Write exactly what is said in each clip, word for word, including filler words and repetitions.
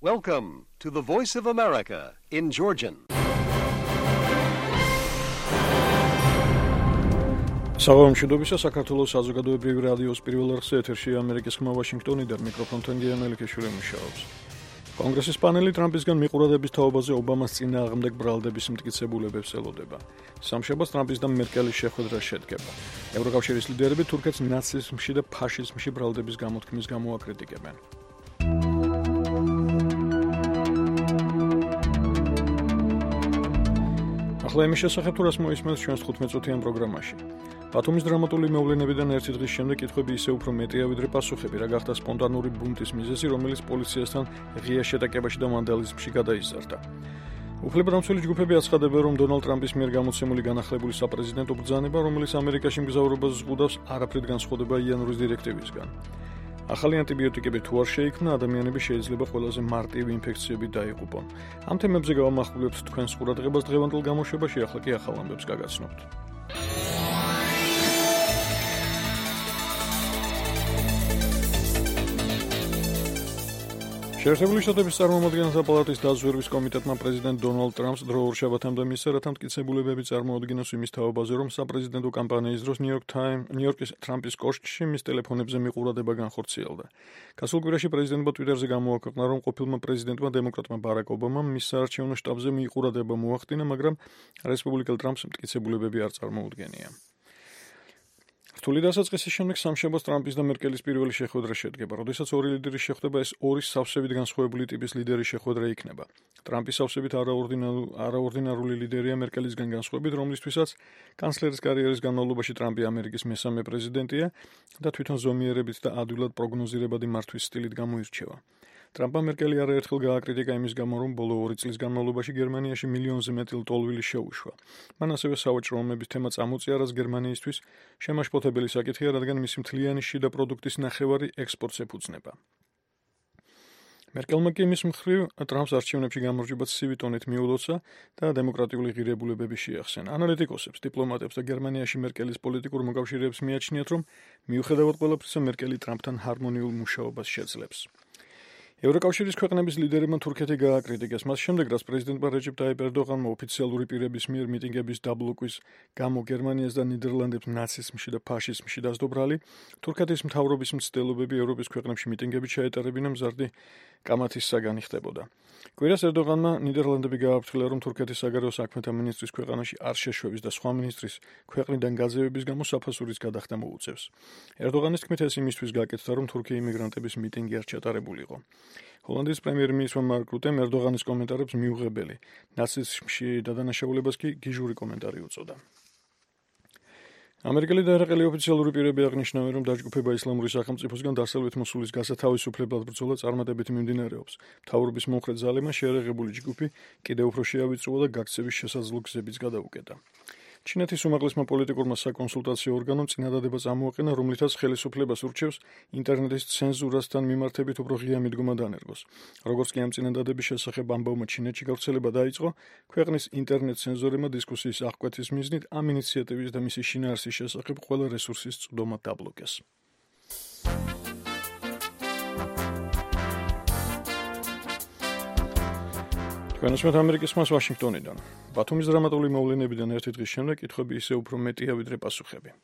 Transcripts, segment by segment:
Welcome to the Voice of America in Georgian. საღამომშვიდობისა საქართველოს საზოგადოებრივი რადიოს პირველ არხზე ეთერში ამერიკის ხმა ვაშინგტონიდან მიკროფონთან გიანელი ქეშური მუშაობს. კონგრესის პანელი ტრამპისგან მიყურადების თაობაზე ობამას წინააღმდეგ ბრალდების მტკიცებულებებს ელოდება. სამშაბათს ტრამპის და მერკელის შეხვედრა შედგება. ევროკავშირის ლიდერები თურქეთს ნაციზმში და ფაშიზმში ბრალდების გამოთქმის გამო აკრიტიკებენ. ახლა იმის შესახებ თუ რას მოისმენთ ჩვენს თხუთმეტ-წუთიან პროგრამაში. ბათუმის დრამატული მოვლენებიდან ერთი დღის შემდეგ კითხვები ისე უფრო მეტია ვიდრე პასუხები, რა გახდა სპონტანური ბუნტის მიზეზი, რომელიც პოლიციასთან ღია შეტაკებაში და ვანდალიზმში გადაიზარდა. უფლებადამცველი ჯგუფები აცხადებენ, რომ დონალდ ტრამპის მიერ გამოცემული განახლებული საპრეზიდენტო ბრძანება, რომელიც ამერიკაში მგზავრობას ზღუდავს, არაფრით განსხვავდება იანვრის დირექტივისგან. ახალი ანტიბიოტიკები თუ არ შეიქმნა, ადამიანები შეიძლება ყველაზე მარტივი ინფექციებით დაიღუპონ. ამ თემებზე გავამახვილებთ თქვენს ყურადღებას დღევანდელ გამოშვებაში, ახლა კი ახალ ამბებს გაგაცნობთ. შეერთებული შტატების წარმომადგენელთა პალატის დაზვერვის კომიტეტმა პრეზიდენტ დონალდ ტრამპს დროურ შაბათამდე მისცა, რათა მტკიცებულებები წარმოუდგინოს იმის თაობაზე, რომ საპრეზიდენტო კამპანიის დროს ნიუ-იორკ ტაიმ, ნიუ-იორკის ტრამპის კოშკში მის ტელეფონებზე მიყურადება განხორციელდა. გასულ კვირაში პრეზიდენტმა ტვიტერზე გამოაქვეყნა, რომ ყოფილმა პრეზიდენტმა დემოკრატმა ბარაკ ობამამ მის საარჩევნო შტაბზე მიყურადება მოახდინა, მაგრამ რესპუბლიკელ ტრამპს მტკიცებულებები არ წარმოუდგენია. რთული დასაწყისის შემდეგ სამშაბათს ტრამპის და მერკელის პირველი შეხვედრა შედგება. როდესაც ორი ლიდერი შეხვდება, ეს ორი სავსებით განსხვავებული ტიპის ლიდერის შეხვედრა იქნება. ტრამპის სავსებით არაორდინარული ლიდერია მერკელისგან განსხვავებით, რომლისთვისაც კანცლერის კარიერის განმავლობაში ტრამპი ამერიკის მესამე პრეზიდენტია და თვითონ ზომიერებით და ადვილად პროგნოზირებადი მართვის სტილით გამოირჩევა. ტრამპმა მერკელი არაერთხელ გააკრიტიკა იმის გამო, რომ ბოლო ორი წლის განმავლობაში გერმანიაში მილიონზე მეტი ლტოლვილი შეუშვა. მან ასევე სავაჭრო ომების თემა წამოწია, რაც გერმანიისთვის შემაშფოთებელი საკითხია, რადგან მისი მთლიანი შიდა პროდუქტის ნახევარი ექსპორტს ეფუძნება. მერკელმა კი იმის მხრივ ტრამპს არჩევნებში გამარჯვება ცივი ტონით მიულოცა და დემოკრატიული ღირებულებები შეახსენა. ანალიტიკოსებს, დიპლომატებს და გერმანიაში მერკელის პოლიტიკურ მოკავშირეებს მიაჩნიათ, რომ მიუხედავად ყველაფრისა, მერკელი ტრამპთან ჰარმონიულ მუშაობას შეძლებს. ევროკავშირის ქვეყნების ლიდერებმა თურქეთი გააკრიტიკეს. მას შემდეგ, რაც პრეზიდენტმა რეჯეპ ტაიპ ერდოღანმა ოფიციალური პირების მიერ მიტინგების დაბლოკვის გამო გერმანიას და ნიდერლანდებს ნაციზმში და ფაშიზმში დასდო ბრალი, თურქეთის მთავრობის მცდელობები ევროპის ქვეყნებში მიტინგებით ჩაეტარებინა მზარდი კამათის საგანი ხდებოდა. კვირას ერდოღანმა ნიდერლანდები გააფრთხილა, რომ თურქეთის საგარეო საქმეთა მინისტრის ქვეყანაში არ შეშვების და სხვა მინისტრის ქვეყნიდან გაძევების გამო საფასურის გადახდა მოუწევს. ერდოღანის თქმით, ეს იმისთვის გაკეთდა, რომ თურქი იმიგრანტების მიტინგი არ ჩატარებულიყო. ჰოლანდიის პრემიერ-მინისტრმა მარკ რუტემ ერდოღანის კომენტარებს მიუღებელი, ნაციზმში დადანაშაულებას კი გიჟური კომენტარი უწოდა. ამერიკელი და ერაყელი ოფიციალური პირები აღნიშნავენ, რომ დაჯგუფება ისლამური სახელმწიფოსგან დასავლეთ მოსულის გასათავისუფლებლად ბრძოლა წარმატებით მიმდინარეობს. მთავრობის მომხრე ძალებმა შეერაღებული ჯგუფი კიდევ უფრო შეავიწროა და გაქცევის შესაძლო გზებიც გადაუკეტა. ჩინეთის უმაღლესმა პოლიტიკურმა საკონსულტაციო ორგანომ წინადადება წამოაყენა, რომლითაც ხელისუფლებას ურჩევს ინტერნეტის ცენზურასთან მიმართებით უფრო ღია მიდგომა დანერგოს. როგორც კი ამ წინადადების შესახებ ამბავმა ჩინეთში გავრცელება დაიწყო, ქვეყნის ინტერნეტ ცენზორებმა დისკუსიის აღკვეთის მიზნით ამ ინიციატივის და მისი შინაარსის შესახებ ყველა რესურსის წვდომა დაბლოკეს. თქვენსმეთ ამერიკის ხმას ვაშინგტონიდან. ბათუმის დრამატული მოვლენებიდან ერთი დღის შემდეგ კითხვები ისე უფრო მეტია ვიდრე პასუხები.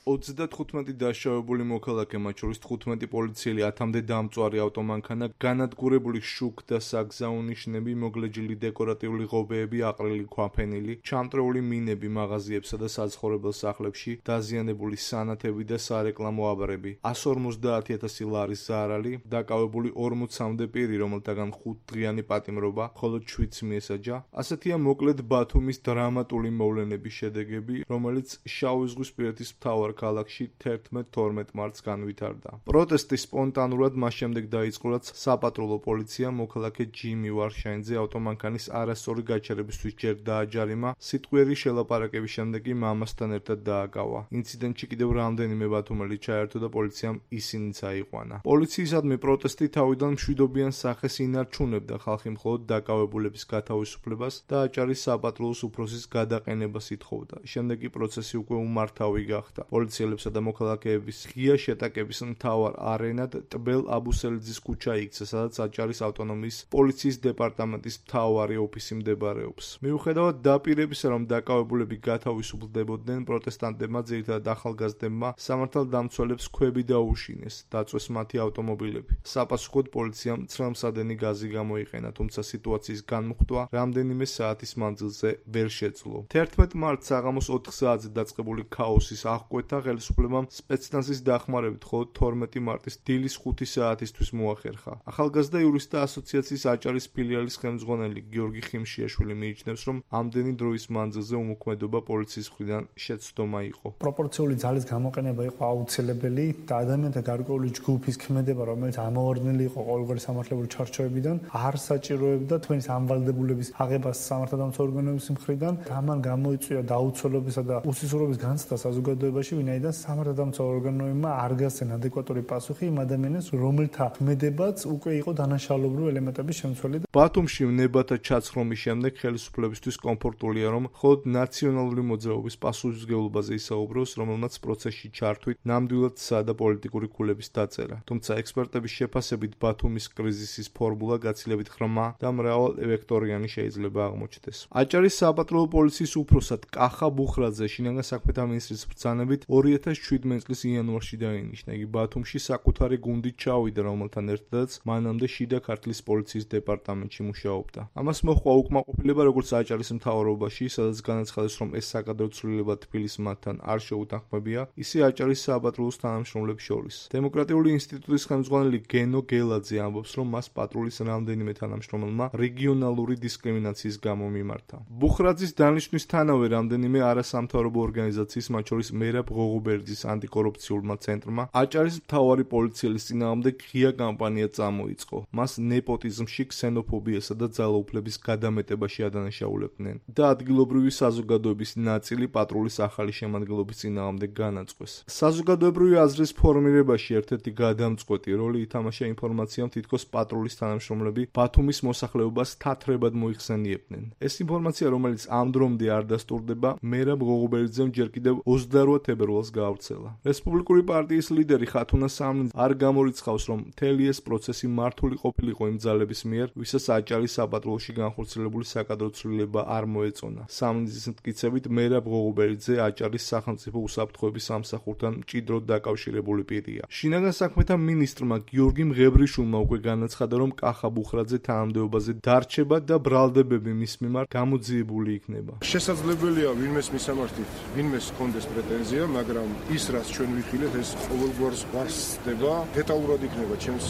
ოცდათხუთმეტი დაშავებული მოქალაქე, მათ შორის თხუთმეტი პოლიციელი, ათამდე დამწვარი ავტომანქანა, განადგურებული შუქ და საგზაო ნიშნები, მოგლეჯილი დეკორატიული ღობეები, აყრილი ქვაფენილი, ჩამწრეული მინები მაღაზიებსა და საცხოვრებელ სახლებში, დაზიანებული სანათები და სარეკლამო აბრები, εκατს ორმოცდაათი ათასი ლარის ზარალი, დაკავებული ორმოცამდე პირი, რომელთაგან ხუთდღიანი პატიმრობა, მხოლოდ შვიდს მიესაჯა. ასეთია მოკლედ ბათუმის დრამატული მოვლენების შედეგები, რომელიც შავი ზღვისპირეთის მთავარ ქალაქში თერთმეტ თორმეტ მარტს განვითარდა. პროტესტი სპონტანურად მას შემდეგ დაიწყო, რაც საპატრულო პოლიცია მოქალაქე ჯიმი ვარშაინძე ავტომანქანის არასწორი გაჩერებისთვის ჯერ დააჯარიმა, სიტყვიერი შელაპარაკების შემდეგ კი მამასთან ერთად დააკავა. ინციდენტში კიდევ რამდენიმე ბათუმელი ჩაერთო და პოლიციამ ისინიც აიყვანა. პოლიციისადმი პროტესტი თავიდან მშვიდობიან სახეს ინარჩუნებდა, ხალხი მხოლოდ დაკავებულების გათავისუფლებას და აჭარის საპატრულოს უფროსის გადაყენებას ითხოვდა. შემდეგ კი პროცესი უკვე უმართავი გახდა. პოლიციელებსა და მოქალაქეების ღია შეტაკების მთავარ არენად ტბელ აბუსელიძის ქუჩა იქცა, სადაც აჭარის ავტონომიის პოლიციის დეპარტამენტის მთავარი ოფისი მდებარეობს. მიუხედავად დაპირებისა, რომ დაკავებულები გათავისუფლდებოდნენ, პროტესტანტებმა, ძირითადად ახალგაზრდებმა, სამართალდამცველებს ქვები დაუშინეს, დაწვეს მათი ავტომობილები. საპასუხოდ პოლიციამ ცრემლსადენი გაზი გამოიყენა, თუმცა სიტუაციის განმუხტვა რამდენიმე საათის მანძილზე ვერ შეძლო. თერთმეტ მარტს საღამოს ოთხ საათზე დაწყებული ქაოსის აღკვეთა ხელისუფლებამ სპეცნაზის დახმარებით მხოლოდ თორმეტი მარტის დილის ხუთი საათისთვის მოახერხა. ახალგაზრდა იურისტთა ასოციაციის აჭარის ფილიალის ხელმძღვანელი გიორგი ხიმშიაშვილი მიიჩნევს, რომ ამდენი დროის მანძილზე უმოქმედობა პოლიციის მხრიდან შეცდომა იყო. პროპორციული ძალის გამოყენება იყო აუცილებელი და ადამიანთა გარკვეული ჯგუფის ქმედება, რომელიც ამოვარდნილი იყო ყოველგვარი სამართლებრივი ჩარჩოებიდან, არ საჭიროებდა თქვენი სამვალდებულების აღებას სამართალდამცავ ორგანოების მხრიდან. ამან გამოიწვია დაუცველობისა და უსისურვების განცდა საზოგადოებაში, ვინაიდან სამართალდამცავ ორგანოებმა არ გასცენ ადეკვატური პასუხი იმ ადამიანებს, რომელთა ქმედებაც უკვე იყო დანაშაულებრივი ელემენტების შემცველი. ბათუმში ნებათა ჩაცხრომის შემდეგ ხელისუფლებისთვის კომფორტულია, რომ მხოლოდ ნაციონალური მოძრაობის პასუხისმგებლობაზე ისაუბროს, რომელმაც პროცესში ჩართვით ნამდვილად სადა პოლიტიკური ქულების დაწერა. თუმცა ექსპერტების შეფასებით ბათუმის კრიზისის ფორმულა გაცილებით ღრმა და მრავალვექტორიანი შეიძლება აღმოჩნდეს. აჭარის საპატრულო პოლიციის უფროსად კახა ბუხრაძე შინაგან საქმეთა მინისტრის ბრძანებით ორი ათას შვიდმეტი წლის იანვარში დაინიშნა. იგი ბათუმში საკუთარი გუნდით ჩავიდა, რომელთან ერთადაც მანამდე შიდა ქართლის პოლიციის დეპარტამენტში მუშაობდა. ამას მოჰყვა უკმაყოფილება როგორც აჭარის მთავრობაში, სადაც განაცხადეს, რომ ეს საკადრო ცვლილება თბილისს მათთან არ შეუთანხმებია, ისე აჭარის საპატრულოს თანამშრომლებს შორის. დემოკრატიული ინსტიტუტის ხელმძღვანელი გენო გელაძე ამბობს, რომ მას პატრულის რამდენიმე თანამშრომელმა რეგიონალური დისკრიმინაციის გამო მიმართა. ბუხრაძის დანიშვნისთანავე რამდენიმე არასამთავრობო ორგანიზაციის, მათ შორის მერაბ ღოღუბერძის ანტიკორუფციულმა ცენტრმა, აჭარის მთავარი პოლიციელის წინააღმდეგ ღია კამპანია წამოიწყო. მას ნეპოტიზმში, ქსენოფობიასა და ძალაუფლების გადამეტებაში ადანაშაულებდნენ და ადგილობრივი საზოგადოების ნაწილი პატრულის ახალი შემადგენლობის წინააღმდეგ განაწყვეს. საზოგადოებრივი აზრის ფორმირებაში ერთ-ერთი გადამწყვეტი როლი ითამაშა ინფორმაციამ, თითქოს პატრულის თანამშრომლები ბათუმის მოსახლეობას თათრებად მოიხსენიებდნენ. ეს ინფორმაცია, რომელიც ამ დრომდე არ დასტურდება, მერაბ ღოღუბერძემ ჯერ კიდევ ოცდაოთხ თებერვალს გაავრცელა. რესპუბლიკური პარტიის ლიდერი ხათუნა სამნიძე არ გამორიცხავს, რომ მთელი ეს პროცესი მართული ყოფილიყო იმ ძალების მიერ, ვისაც აჭარის საპატრულოში განხორციელებული საკადრო ცვლილება არ მოეწონა. სამნიძის მტკიცებით, მერაბ ღოღუბერძე აჭარის სახელმწიფო უსაფრთხოების სამსახურთან მჭიდროდ დაკავშირებული პირია. შინაგან საქმეთა მინისტრმა გიორგი მღებრიშვილმა უკვე განაცხადა, რომ კახა ბუხრაძე თანამდებობაზე დარჩება და ბრალდებები მის მიმართ გამოძიებული იქნება. შესაძლებელია ვინმეს მისამართით, ვინმეს ჰქონდეს პრეტენზია, მაგრამ ის რაც ჩვენ ვიხილეთ, ეს ყოველგვარ ზღვასდება, დეტალურად იქნება ჩემს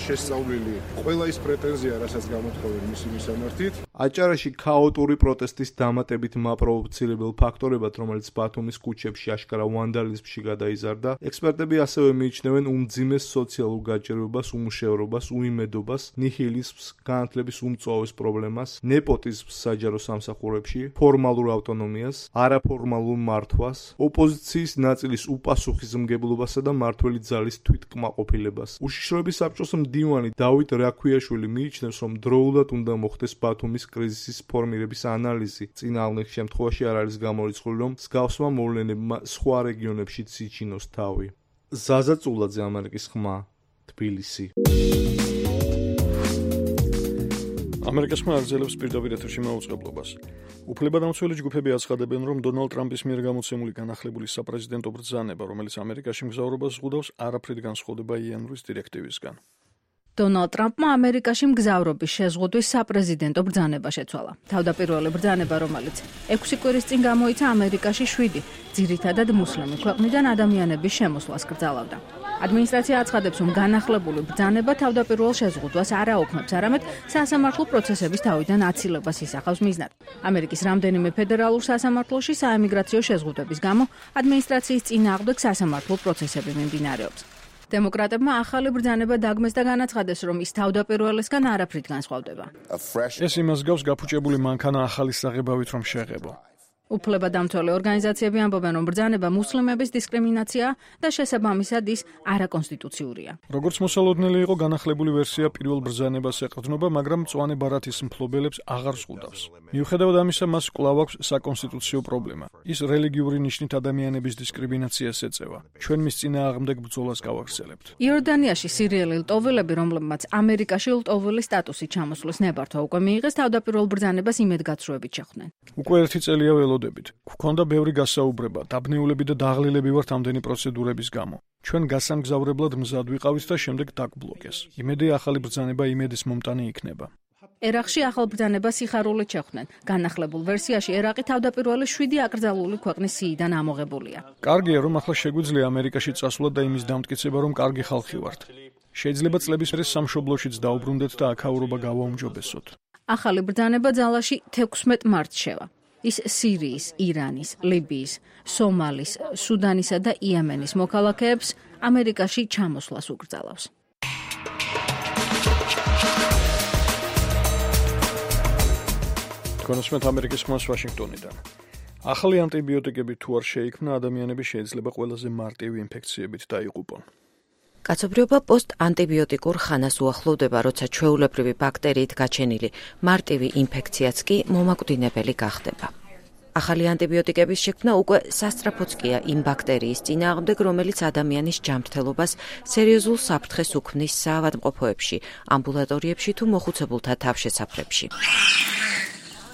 შესწავლილი ყველა ის პრეტენზია, რასაც გამოთხოვენ მისი მისამართით. აჭარაში ქაოტური პროტესტის დამატებით მაპროვოცირებელ ფაქტორებად, რომელიც ბათუმის ქუჩებში აშკარა ვანდალიზმში გადაიზარდა, ექსპერტები ასევე მიიჩნევენ უმძიმეს სოციალურ გაჭირვებას, უმუშევრობას, უიმედობას, ნიჰილიზმს, განათლების უმწვავეს პრობლემას, ნეპოტიზმს საჯარო სამსახურებში, ფორმალურ ავტონომიას, არაფორმალურ მართვას, ოპოზიციის ნაწილის უპასუხისმგებლობასა და მმართველი ძალის თვითკმაყოფილებას. უშიშროების საბჭოს მდივანი დავით რაქვიაშვილი მიიჩნევს, რომ დროულად უნდა მოხდეს ბათუმის კრიზისის ფორმირების ანალიზი. წინააღმდეგ შემთხვევაში არ არის გამორიცხული, რომ მსგავსმა მოვლენებმა სხვა რეგიონებშიც იჩინოს თავი. ზაზა წულაძე, ამერიკის ხმა, თბილისი. ამერიკის ხმა აგრძელებს პირდაპირ ეთერში მაუწყებლობას. უფლებადამცველი ჯგუფები აცხადებენ, რომ დონალდ ტრამპის მიერ გამოცემული განახლებული საპრეზიდენტო ბრძანება, რომელიც ამერიკაში მგზავრობას ზღუდავს, არაფრით განსხვავდება იანვრის დირექტივისგან. დონალდ ტრამპმა ამერიკაში მგზავრობის შეზღუდვის საპრეზიდენტო ბრძანება შეცვალა. თავდაპირველი ბრძანება, რომელიც ექვსი კვირის წინ გამოიცა ამერიკაში შვიდი, ძირითადად მუსლიმი ქვეყნიდან ადამიანების შემოსვლას კრძალავდა. ადმინისტრაცია აცხადებს, რომ განახლებული ბრძანება თავდაპირველ შეზღუდვას არ აუქმებს, არამედ სასამართლო პროცესების თავიდან აცილებას ისახავს მიზნად. ამერიკის რამდენიმე ფედერალურ სასამართლოში საემიგრაციო შეზღუდვების გამო ადმინისტრაციის წინააღმდეგ სასამართლო პროცესები მიმდინარეობს. დემოკრატებმა ახალი ბრძანება დაგმეს და განაცხადეს, რომ ის თავდაპირველისგან არაფრით განსხვავდება. ეს იმას გავს გაფუჭებული მანქანა ახალი საღებავით რომ შეღებო. უფლებადამცველი ორგანიზაციები ამბობენ, რომ ბრძანება მუსლიმების დისკრიმინაციაა და შესაბამისად ის არაკონსტიტუციურია. როგორც მოსალოდნელი იყო, განახლებული ვერსია პირველ ბრძანებას ეყრდნობა, მაგრამ მწვანე ბარათის მფლობელებს აღარ ზღუდავს. მიუხედავად ამისა, მას კვლავ აქვს საკონსტიტუციო პრობლემა. ის რელიგიური ნიშნით ადამიანების დისკრიმინაციას ეწევა. ჩვენ მის წინააღმდეგ ბრძოლას გავაგრძელებთ. იორდანიაში სირიელი ლტოვილები, რომლებმაც ამერიკაში ლტოვილი სტატუსი ჩამოსვლის ნებართვა უკვე მიიღეს, თავდაპირველ ბრძანებას იმედგაცრუებით შეხვდნენ. უკვე ერთი წელია ველოდებით. გვქონდა ბევრი გასაუბრება, დაბნეულები და დაღლილები ვართ ამდენი პროცედურების გამო. ჩვენ გასამგზავრებლად მზად ვიყავით და შემდეგ დაგბლოკეს. იმედია ახალი ბრძანება იმედის მომტანი იქნება. ერაყში ახალ ბრძანებას სიხარულით შეხვდნენ. განახლებულ ვერსიაში ერაყი თავდაპირველი შვიდი აკრძალული ქვეყნის სიიდან ამოღებულია. კარგია, რომ ახლა შეგვიძლია ამერიკაში წასვლა და იმის დამტკიცება, რომ კარგი ხალხი ვართ. შეიძლება წლების მერე სამშობლოშიც დაუბრუნდეთ და აქაურობა გავაუმჯობესოთ. ახალი ბრძანება ძალაში თექვსმეტ მარტს შევა. ის სირიის, ირანის, ლიბიის, სომალის, სუდანისა და იემენის მოქალაქეებს ამერიკაში ჩამოსვლას უკრძალავს. კონსუმენტ ამერიკის ხმას ვაშინგტონიდან. ახალი ანტიბიოტიკები თუ არ შეიქმნა, ადამიანები შეიძლება ყველაზე მარტივი ინფექციებით დაიღუპონ. კაცობრიობა პოსტ-ანტიბიოტიკურ ხანას უახლოვდება, როცა ჩვეულებრივი ბაქტერიით გაჩენილი მარტივი ინფექციაც კი მომაკვდინებელი გახდება. ახალი ანტიბიოტიკების შექმნა უკვე სასწრაფოც-კია იმ ბაქტერიის წინააღმდეგ, რომელიც ადამიანის ჯანმრთელობას სერიოზულ საფრთხეს უქმნის საავადმყოფოებში, ამბულატორიებში თუ მოხუცებულთა თავშესაფრებში.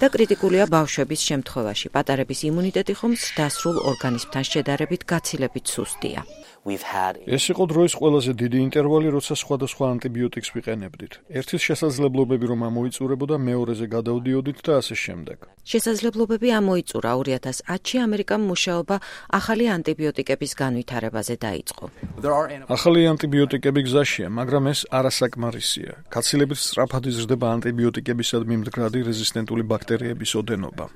და კრიტიკულია ბავშვების შემთხვევაში. პატარების იმუნიტეტი ხომ ზრდასრულ ორგანიზმთან შედარებით გაცილებით სუსტია. ეს იყო დროის ყველაზე დიდი ინტერვალი, როცა სხვადასხვა ანტიბიოტიკს ვიყენებდით. ერთის შესაძლებლობები რომ ამოიწურებოდა, მეორეზე გადავდიოდით და ასე შემდეგ. შესაძლებლობები ამოიწურა ორი ათას ათში ამერიკამ მუშაობა ახალი ანტიბიოტიკების განვითარებაზე დაიწყო. ახალი ანტიბიოტიკები გზაშია, მაგრამ ეს არასაკმარისია. გაცილებით სწრაფად იზრდება ანტიბიოტიკებისადმი მდგრადი რეზისტენტული ბაქტერიების ოდენობა.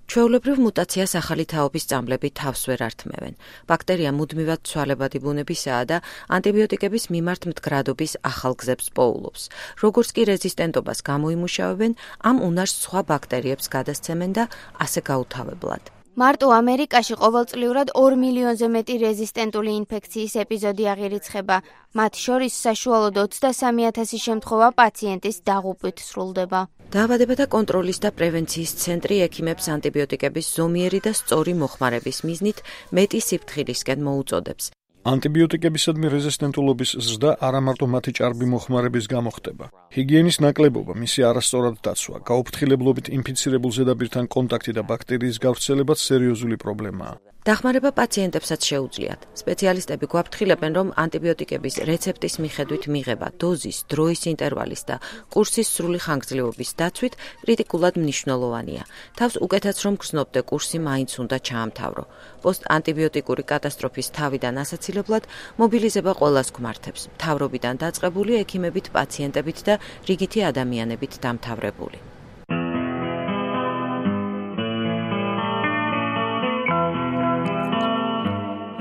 ჩვეულებრივ მუტაციას ახალი თაობის წამლები თავს ვერ ართმევენ. ბაქტერია მუდმივად ცვალებადი ბუნებისაა და ანტიბიოტიკების მიმართ მდგრადობის ახალ გზებს პოულობს. როგორც კი რეზისტენტობას გამოიმუშავებენ, ამ უნარს სხვა ბაქტერიებს გადასცემენ და ასე გაუთავებლად. მარტო ამერიკაში ყოველწლიურად ორ მილიონზე მეტი რეზისტენტული ინფექციის ეპიზოდი აღირიცხება. მათ შორის საშუალოდ ოცდასამი ათასი შემთხვევა პაციენტის დაღუპვით სრულდება. დაავადებათა კონტროლის და პრევენციის ცენტრი ექიმებს ანტიბიოტიკების ზომიერი და სწორი მოხმარების მიზნით მეტი სიფრთხილისკენ მოუწოდებს. ანტიბიოტიკებისადმი რეზისტენტულობის ზრდა არა მარტო მათი ჭარბი მოხმარების გამო ხდება. ჰიგიენის ნაკლებობა, მისი არასწორად დაცვა, გაუფრთხილებლობით ინფიცირებულ ზედაპირთან კონტაქტი და ბაქტერიის გავრცელებაც სერიოზული პრობლემაა. დახმარება პაციენტებსაც შეუძლიათ. სპეციალისტები გვაფრთხილებენ, რომ ანტიბიოტიკების რეცეპტის მიხედვით მიღება, დოზის, დროის ინტერვალის და კურსის სრული ხანგრძლივობის დაცვით კრიტიკულად მნიშვნელოვანია. თავს უკეთაც რომ გრძნობდე კურსი მაინც უნდა ჩაამთავრო. პოსტ-ანტიბიოტიკური კატასტროფის თავიდან ასაცილებლად მობილიზება ყველას გვმართებს. მთავრობიდან დაწყებული, ექიმებით, პაციენტებით და რიგითი ადამიანებით დამთავრებული.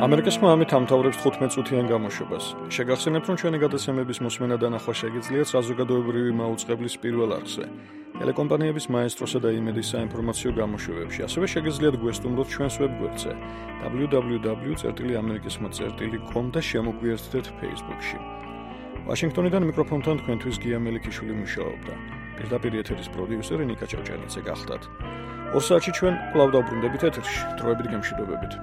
ამერიკის მამით ამთავრებს თხუთმეტ წუთიან გამოშვებას. შეგახსენებთ, რომ ჩვენი გადაცემების მოსმენა და ნახვა შეგიძლიათ საზოგადოებრივი მაუწყებლის პირველ არხზე, ტელეკომპანიების მაესტროსა და იმედის საინფორმაციო გამოშვებებში. ასევე შეგიძლიათ გვესტუმროთ ჩვენს ვებგვერდზე დაბლიუ დაბლიუ დაბლიუ წერტილი ამერიკისმა წერტილი კომ და შემოგვიერთდეთ Facebook-ში. ვაშინგტონიდან მიკროფონთან თქვენთვის გია მელიქიშვილი მუშაობდა. პირდაპირ ეთერის პროდიუსერი ნიკა ჭავჭანიძე გახდათ. ორ საათში ჩვენ კვლავ დავბრუნდებით ეთერში. დროებით გემშვიდობებით.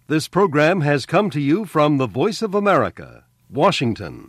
This program has come to you from the Voice of America, Washington.